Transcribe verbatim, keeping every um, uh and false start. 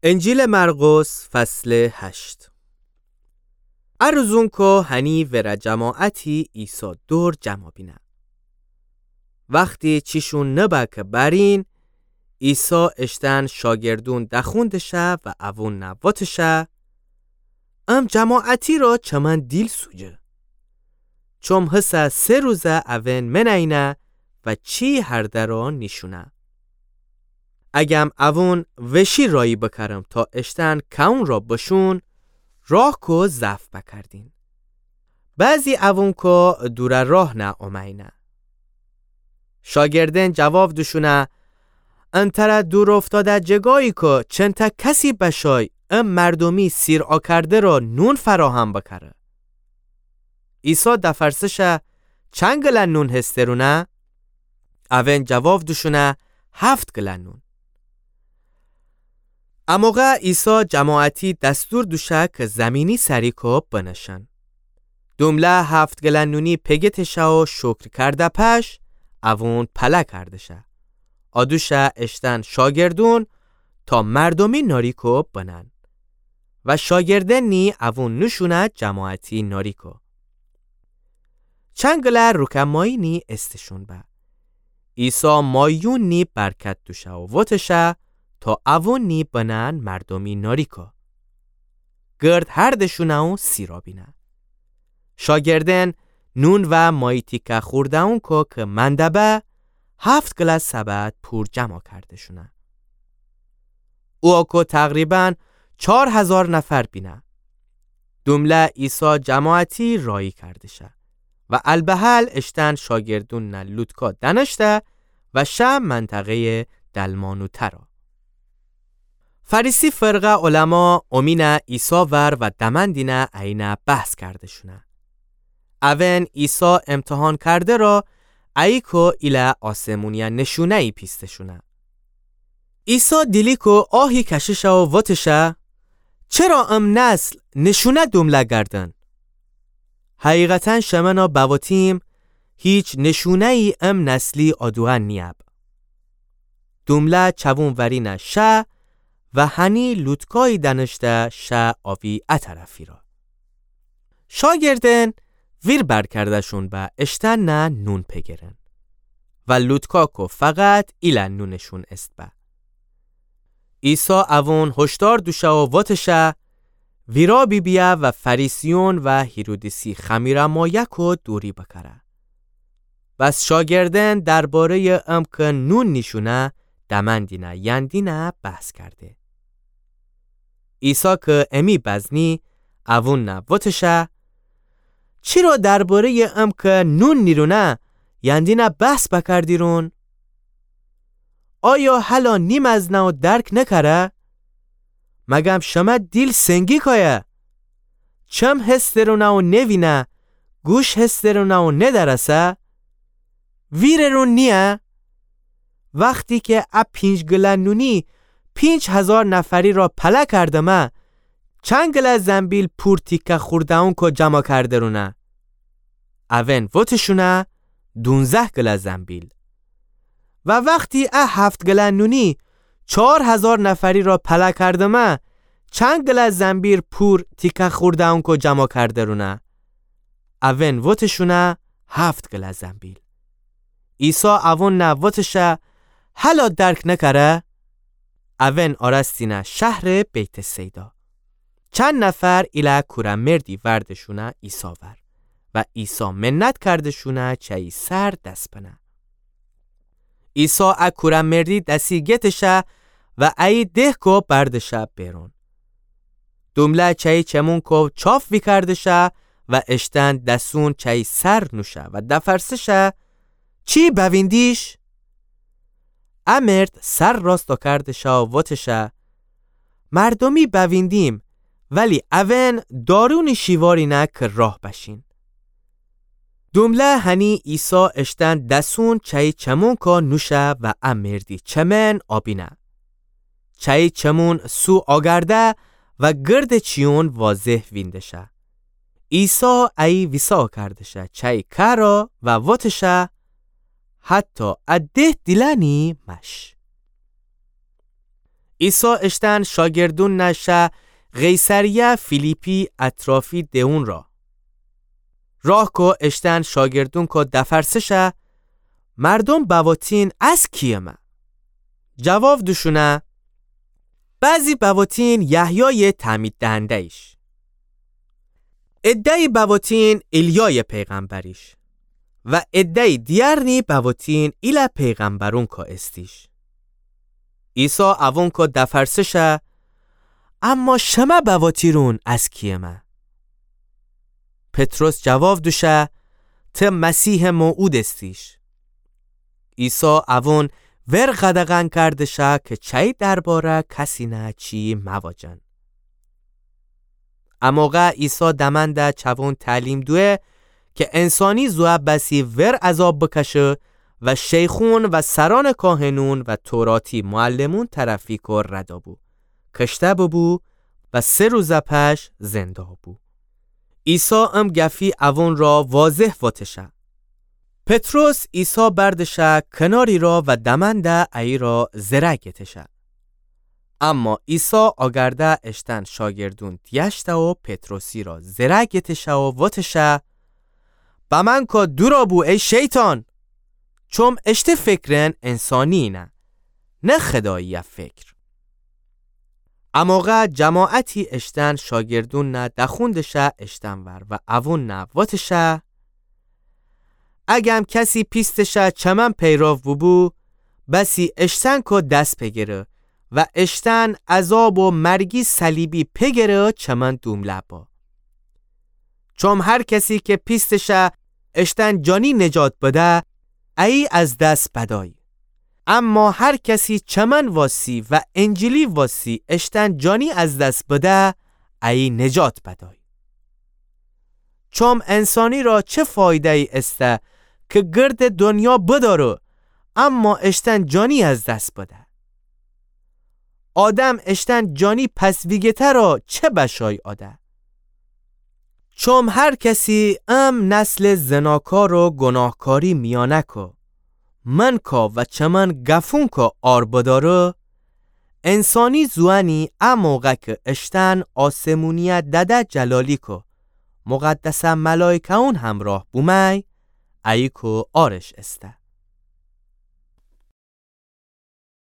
انجیلٚ مرقس، فصلٚ هشت. ا روزونکو هنی ورأ جماعتی عیسی دور جمع بینه. وختی چیشون نبه که برین، عیسی اشتن شاگردون دخوندشه و اوون نه وتشه: ام جماعتی را چمن دیل سوجه. چوم هسه سه روزه اوئن مینه‌یینه و چی هرده را نیشونه. اگم اوون وشی رایی بکرم تا اشتن کئون را بشون، راه کو ضعف بکردین. بعضی اوونکو دورٚ راه نه اومه‌یینه. شاگردأن جواب دوشونه: ان تره دور افتاده جگایی کو چنته کسی بشای ام مردومی سیر آکرده را نون فراهم بکره؟ عیسی دفرسشه: چند گله نون هسترونه؟ اوئن جواب دوشونه: هفت گله نون. اموقع عیسی جماعتی دستور دوشه که زمینی سری کو بنشن. دومله هفت گله نونی پگتشه و شکر کرده پش، اوون پله کردشه. آدوشه اشتن شاگردون تا مردومی ناری کو بنن. و شاگردأنی اوون نوشونه جماعتی ناری کو. چند گله روکه ماهی نی استشون به. عیسی ماهیون نی برکت دوشه و وتشه تا اوون نی بنن مردومی ناری کو. گرد هردشونه و سیرا بینه. شاگردأن نون و ماهی تیکه خورده‌ونکو که منده به، هفت گله سبد پور جمع کردشونه. او کو تقریباً چار هزار نفر بینه. دومله عیسی جماعتی رایی کردشه و البهل اشتن شاگردون نه لوتکا دنشته و شه منطقه‌یٚ دلمانوته را. فریسی فرقه علما اومینه عیسی ور و دمندینه اینه بحث کردشونه. اوئن عیسی امتحان کرده را ای کو ایله آسمونیه نشونه‌یی پیستشونه. عیسی دیلی کو آهی کشیشه و وتشه: چرا ام نسل نشونه دومله گردن؟ حقیقتاً شمنه بوتیم، هیچ نشونه‌یی ام نسلی آدوئن نیب. دومله چوون ورینه شه و هنی لوتکایی دنشته شه آوی ا طرفی را. شاگردأن ویر برکردشون به اشتن نه نون پگرن و لوتکا کو فقط ایله نونشون است به. عیسی اوون هشدار دوشه و وتشه: ویرا بیبیه و فریسیون و هیرودیسی خمیرمایه کو دوری بکره. بس شاگردأن درباره‌یٚ ام که نون نیشونه دمندینه یندینه بحث کرده. عیسی که امی بزنی اوون نه وتشه: چرا درباره‌یٚ ام که نون نیرونه یندینه بحث بکردیرون؟ آیا هلا نیمزنه و درک نکره؟ مگم شمه دیل سنگی کایه؟ چم هسترونه و نوینه، گوش هسترونه و ندرسه؟ ویررون نییه؟ وختی که ا پینج گله نونی پینج هزار نفری را پله کردمه، چند گله زنبیل پور تیکه خورده‌ونکو جمع کردرونه؟ اوئن وتشونه: دونزه گله زنبیل. و وختی ا هفت گله نونی چار هزار نفری را پله کردمه، چند گله زنبیل پور تیکه خورده‌ونکو جمع کردرونه؟ اوئن وتشونه: هفت گله زنبیل. عیسی اوون نه وتشه: هلا درک نکره؟ اوئن آرستینه شهرٚ بیت‌صیدا. چند نفر ایله کوره‌مردی وردشونه عیسی ور و عیسی منت کردشونه چه ای سر دس بنه. عیسی ا کوره‌مردی دسی گتشه و ای دهکو بردشه بیرون. دومله چه ای چمونکو چاف ویکردشه و اشتن دسون چه ای سر نوشه و دفرسشه: چی بویندیش؟ ا مرد سر راست کردشه و وتشه: مردومی بویندیم، ولی اوئن دارونی شیوارینه که راه بشین. دومله هنی عیسی اشتن دسون چه ای چمونکو نوشه و ا مردی چمن آبینه. چه ای چمون سو آگرده و گردٚ چیون واضح ویندشه. عیسی ای ویسا کردشه چه ای کهرا و وتشه: حتی ا ده دیلأنی مش. عیسی اشتأن شاگردونَ شه قیصریه فیلیپی اطرافی دئون را. راه کو اشتأن شاگردون کو دفرسه شه، مردوم بواتین از کی‌یمه؟ جواب دوشونه، بعضی بواتین یحیایٚ تعمیددهنده‌ییش، عده‌یی بواتین ایلیایٚ پیغمبریش و عده‌یی دیگرنی بواتین ایلأ پیغمبرون کو استیش. عیسی اوون کو دفرسه شه، اما شمه بواتیرون از کی‌یمه؟ پطرس جواب دوشه، ته مسیحٚ موعود استیش. عیسی اوون ور قدغن کرده شه که چأیی درباره کسینه چی‌یی مواجن. اموقع عیسی دمأنده چوون تعلیم دویه که انسانی زوه بسی ور عذاب بکشه و شیخون و سرأنٚ کاهنون و توراتی معلمون طرفی کو رد بو، کشته ببو و سه روز پش زنده بو. عیسی ام گفی اوون را واضح وتشه. پطرس عیسی برده شه کناری را و دمأنده ایرا زره گتشه. اما عیسی آگرده اشتأن شاگردون دیأشته و پطرسی را زره گتشه و وتشه، بمأن کو دورا بو ای شیطان! چوم اشته فکرن انسانی‌یینه، نه خودایی‌یه فکر. اموقع جماعتی اشتأن شاگردونَ دخونده‌شه اشتأنور و اوونَ وتشه، اگم کسی پیستٚ شه چمن پیرو ببو، بسی اشتأن کو دس پگره و اشتأن عذاب و مرگی صلیبی پگره چمن دومله با. چوم هر کسی که پیستٚ شه اشتأن جانی نجات بده، ایی از دس بدأی. اما هر کسی چمن واسی و انجیلی واسی اشتأن جانی از دس بده، ایی نجات بدأی. چوم انسانی را چه فایده‌یی استه که گردٚ دونیا بدأره، اما اشتأن جانی از دس بده؟ آدم اشتأن جانی پس ویگیته را چه بشای آده؟ چوم هر کسی ام نسلٚ زناکار و گوناهکاری میأنه کو من کا و چمن گفون کا عار بدأره، انسانی زوأنی ا موقع که اشتأن آسمونی‌یه دده جلالی کو مقدسٚ ملایکه‌یون همراه بومأی، ایی کو عارش استه.